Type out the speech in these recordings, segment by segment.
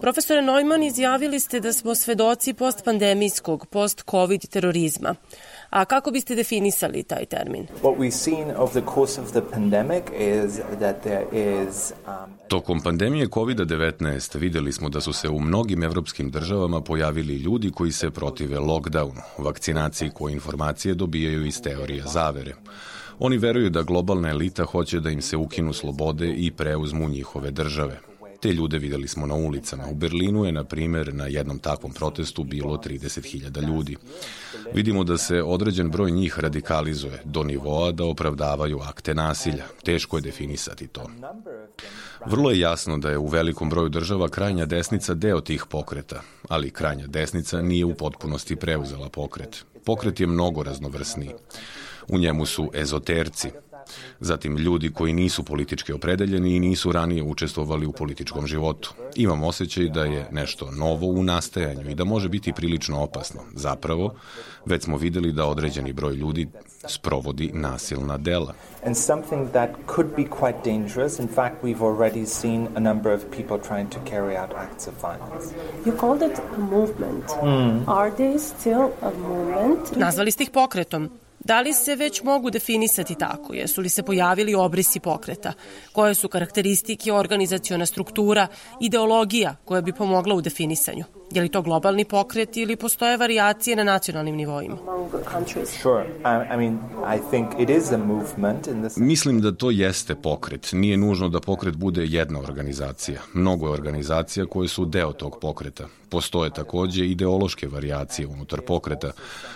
Profesore Neumann, izjavili ste da smo svedoci postpandemijskog, post-covid terorizma. A kako biste definisali taj termin? Tokom pandemije COVID-19 vidjeli smo da su se u mnogim evropskim državama pojavili ljudi koji se protive lockdownu, vakcinaciji koje informacije dobijaju iz teorija zavere. Oni veruju da globalna elita hoće da im se ukinu slobode i preuzmu njihove države. Te ljude vidjeli smo na ulicama. U Berlinu je, na primjer, na jednom takvom protestu bilo 30.000 ljudi. Vidimo da se određen broj njih radikalizuje do nivoa da opravdavaju akte nasilja. Teško je definisati to. Vrlo je jasno da je u velikom broju država krajnja desnica deo tih pokreta, ali krajnja desnica nije u potpunosti preuzela pokret. Pokret je mnogo raznovrsniji. U njemu su ezoterci, zatim ljudi koji nisu politički opredeljeni i nisu ranije učestvovali u političkom životu. Imam osjećaj da je nešto novo u nastajanju i da može biti prilično opasno. Zapravo, već smo vidjeli da određeni broj ljudi sprovodi nasilna dela. And something that could be quite dangerous. In fact, we've already seen a number of people trying to carry out acts of violence. You called it a movement. Are they still a movement? Nazvali ste ih pokretom. Da li se već mogu definisati tako? Jesu li se pojavili obrisi pokreta? Koje su karakteristike, organizaciona struktura, ideologija koja bi pomogla u definisanju? Je li to globalni pokret ili postoje varijacije na nacionalnim nivoima? Mislim da to jeste pokret. Nije nužno da pokret bude jedna organizacija. Mnogo je organizacija koje su deo tog pokreta. Postoje također ideološke varijacije unutar pokreta,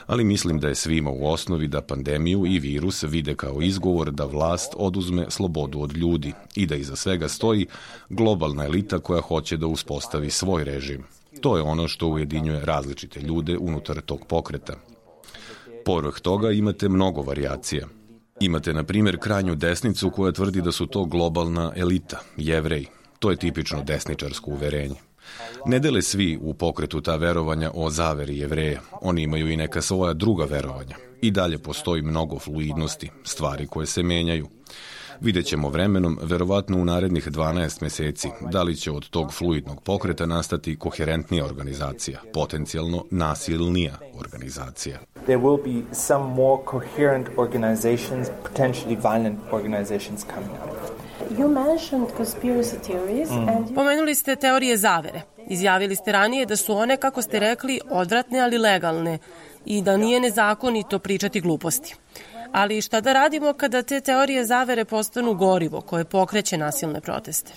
ali mislim da je svima u osnovi da pandemiju i virus vide kao izgovor da vlast oduzme slobodu od ljudi i da iza svega stoji globalna elita koja hoće da uspostavi svoj režim. To je ono što ujedinjuje različite ljude unutar tog pokreta. Povrh toga imate mnogo varijacija. Imate, na primjer, krajnju desnicu koja tvrdi da su to globalna elita, Jevreji. To je tipično desničarsko uverenje. Ne dele svi u pokretu ta verovanja o zaveri Jevreja. Oni imaju i neka svoja druga verovanja. I dalje postoji mnogo fluidnosti, stvari koje se menjaju. Vidjet ćemo vremenom, verovatno u narednih 12 mjeseci, da li će od tog fluidnog pokreta nastati koherentnija organizacija, potencijalno nasilnija organizacija. There will be some more coherent organizations, potentially violent organizations coming out. You mentioned conspiracy theories and Pomenuli ste teorije zavere. Izjavili ste ranije da su one, kako ste rekli, odvratne ali legalne i da nije nezakonito pričati gluposti. Ali šta da radimo kada te teorije zavere postanu gorivo koje pokreće nasilne proteste?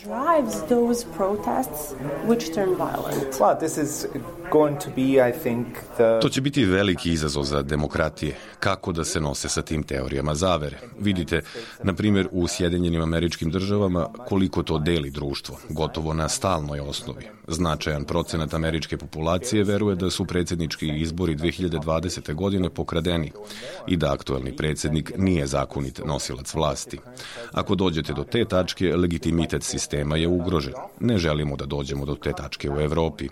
To će biti veliki izazov za demokratije. Kako da se nose sa tim teorijama zavere? Vidite, na primjer, u Sjedinjenim Američkim Državama koliko to deli društvo, gotovo na stalnoj osnovi. Značajan procenat američke populacije veruje da su predsjednički izbori 2020. godine pokradeni i da aktuelni predsjednik nije zakonit nosilac vlasti. Ako dođete do te tačke, legitimitet sistema je ugrožen. Ne želimo da dođemo do te tačke u Europi.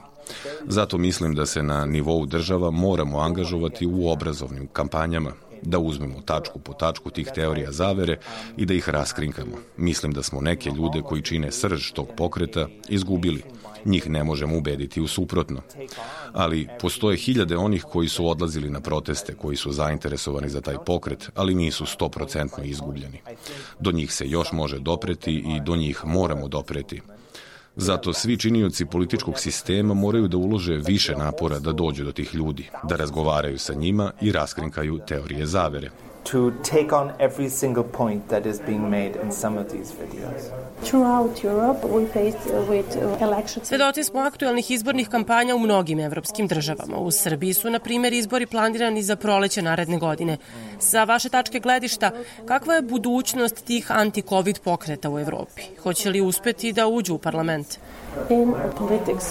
Zato mislim da se na nivou država moramo angažovati u obrazovnim kampanjama, da uzmemo tačku po tačku tih teorija zavere i da ih raskrinkamo. Mislim da smo neke ljude koji čine srž tog pokreta izgubili. Njih ne možemo ubediti u suprotno. Ali postoje hiljade onih koji su odlazili na proteste, koji su zainteresovani za taj pokret, ali nisu 100% izgubljeni. Do njih se još može dopreti i do njih moramo dopreti. Zato svi činioci političkog sistema moraju da ulože više napora da dođu do tih ljudi, da razgovaraju sa njima i raskrinkaju teorije zavere. To take on every single point that is being made in some of these videos. Throughout Europe we faced with elections. Svedoci smo aktuelnih izbornih kampanja u mnogim evropskim državama. U Srbiji su, na primjer, izbori planirani za proleće naredne godine. Sa vaše tačke gledišta, kakva je budućnost tih anti-covid pokreta u Evropi? Hoće li uspeti da uđu u parlament? In politics,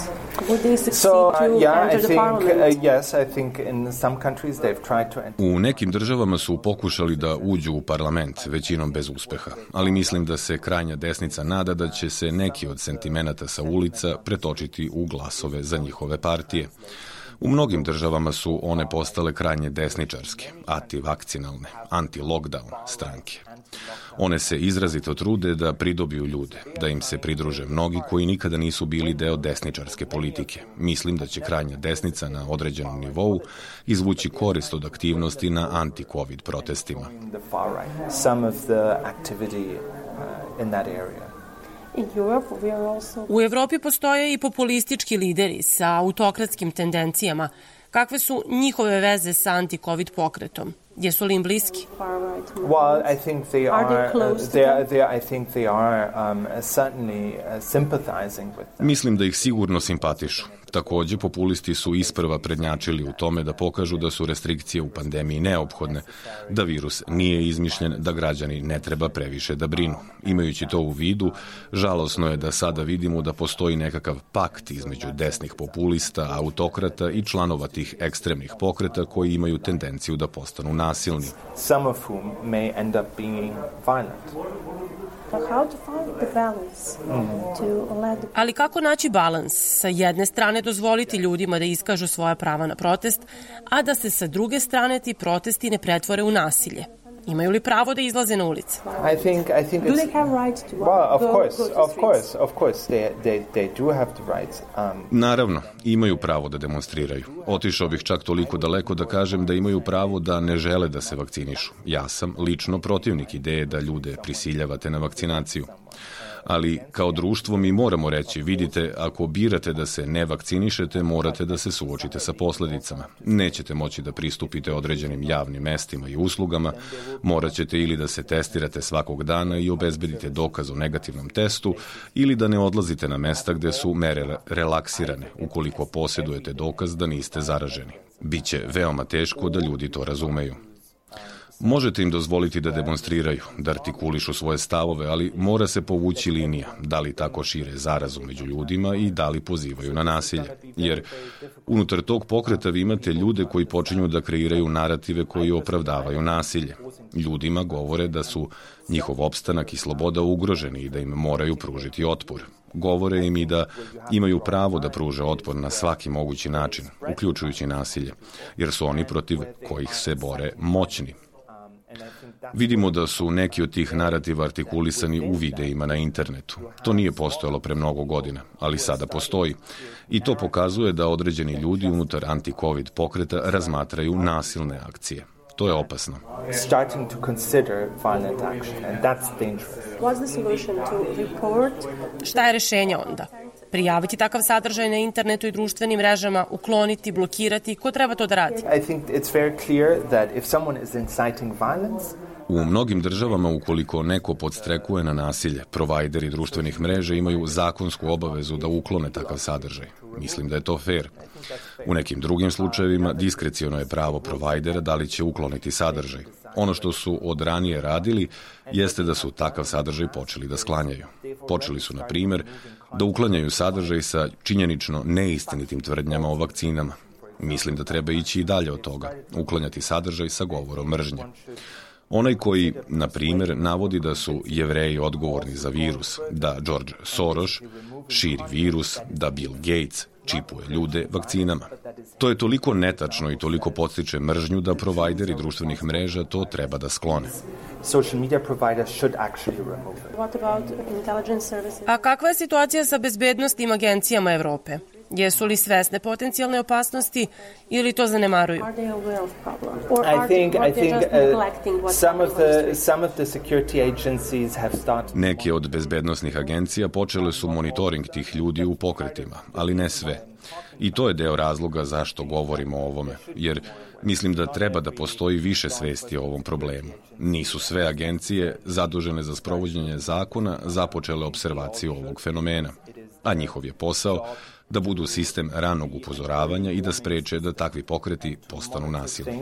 would they succeed to enter the parliament? Yes, I think in some countries they've tried to enter. U nekim državama su pokušali da uđu u parlament, većinom bez uspeha, ali mislim da se krajnja desnica nada da će se neki od sentimenata sa ulica pretočiti u glasove za njihove partije. U mnogim državama su one postale krajnje desničarske, antivakcinalne, anti-lockdown stranke. One se izrazito trude da pridobiju ljude, da im se pridruže mnogi koji nikada nisu bili deo desničarske politike. Mislim da će krajnja desnica na određenom nivou izvući korist od aktivnosti na anti-covid protestima. U Evropi postoje i populistički lideri sa autokratskim tendencijama. Kakve su njihove veze sa anti-covid pokretom? Jesu li im bliski? Well, I think they are certainly sympathizing with them. Mislim da ih sigurno simpatišu. Takođe, populisti su isprva prednjačili u tome da pokažu da su restrikcije u pandemiji neophodne, da virus nije izmišljen, da građani ne treba previše da brinu. Imajući to u vidu, žalosno je da sada vidimo da postoji nekakav pakt između desnih populista, autokrata i članova tih ekstremnih pokreta koji imaju tendenciju da postanu nasilni. Some of whom may end up being violent. Ali kako naći balans? Sa jedne strane dozvoliti ljudima da iskažu svoja prava na protest, a da se sa druge strane ti protesti ne pretvore u nasilje. Imaju li pravo da izlaze na ulice? I think do they have rights to of course they do have the rights. Naravno, imaju pravo da demonstriraju. Otišao bih čak toliko daleko da kažem da imaju pravo da ne žele da se vakcinišu. Ja sam lično protivnik ideje da ljude prisiljavate na vakcinaciju. Ali kao društvo mi moramo reći, vidite, ako birate da se ne vakcinišete, morate da se suočite sa posledicama. Nećete moći da pristupite određenim javnim mestima i uslugama, morat ćete ili da se testirate svakog dana i obezbedite dokaz o negativnom testu, ili da ne odlazite na mesta gde su mere relaksirane, ukoliko posjedujete dokaz da niste zaraženi. Biće veoma teško da ljudi to razumeju. Možete im dozvoliti da demonstriraju, da artikulišu svoje stavove, ali mora se povući linija, da li tako šire zarazu među ljudima i da li pozivaju na nasilje. Jer unutar tog pokreta vi imate ljude koji počinju da kreiraju narative koji opravdavaju nasilje. Ljudima govore da su njihov opstanak i sloboda ugroženi i da im moraju pružiti otpor. Govore im i da imaju pravo da pruže otpor na svaki mogući način, uključujući nasilje, jer su oni protiv kojih se bore moćni. Vidimo da su neki od tih narativa artikulisani u videima na internetu. To nije postojalo pre mnogo godina, ali sada postoji. I to pokazuje da određeni ljudi unutar anti-covid pokreta razmatraju nasilne akcije. To je opasno. Šta je rešenje onda? Prijaviti takav sadržaj na internetu i društvenim mrežama, ukloniti, blokirati, ko treba to da radi? U mnogim državama, ukoliko neko podstrekuje na nasilje, provajderi društvenih mreža imaju zakonsku obavezu da uklone takav sadržaj. Mislim da je to fair. U nekim drugim slučajevima diskreciono je pravo provajdera da li će ukloniti sadržaj. Ono što su od ranije radili jeste da su takav sadržaj počeli da sklanjaju. Počeli su, na primjer, da uklanjaju sadržaj sa činjenično neistinitim tvrdnjama o vakcinama. Mislim da treba ići i dalje od toga, uklanjati sadržaj sa govorom mržnje. Onaj koji, na primjer, navodi da su Jevreji odgovorni za virus, da George Soros širi virus, da Bill Gates čipuje ljude vakcinama. To je toliko netačno i toliko podstiče mržnju da provajderi društvenih mreža to treba da sklone. A kakva je situacija sa bezbednosnim agencijama Evrope? Jesu li svesne potencijalne opasnosti ili to zanemaruju? Neke od bezbednosnih agencija počele su monitoring tih ljudi u pokretima, ali ne sve. I to je deo razloga zašto govorimo o ovome, jer mislim da treba da postoji više svesti o ovom problemu. Nisu sve agencije zadužene za sprovođenje zakona započele observaciju ovog fenomena, a njihov je posao da budu sistem ranog upozoravanja i da spreče da takvi pokreti postanu nasilni.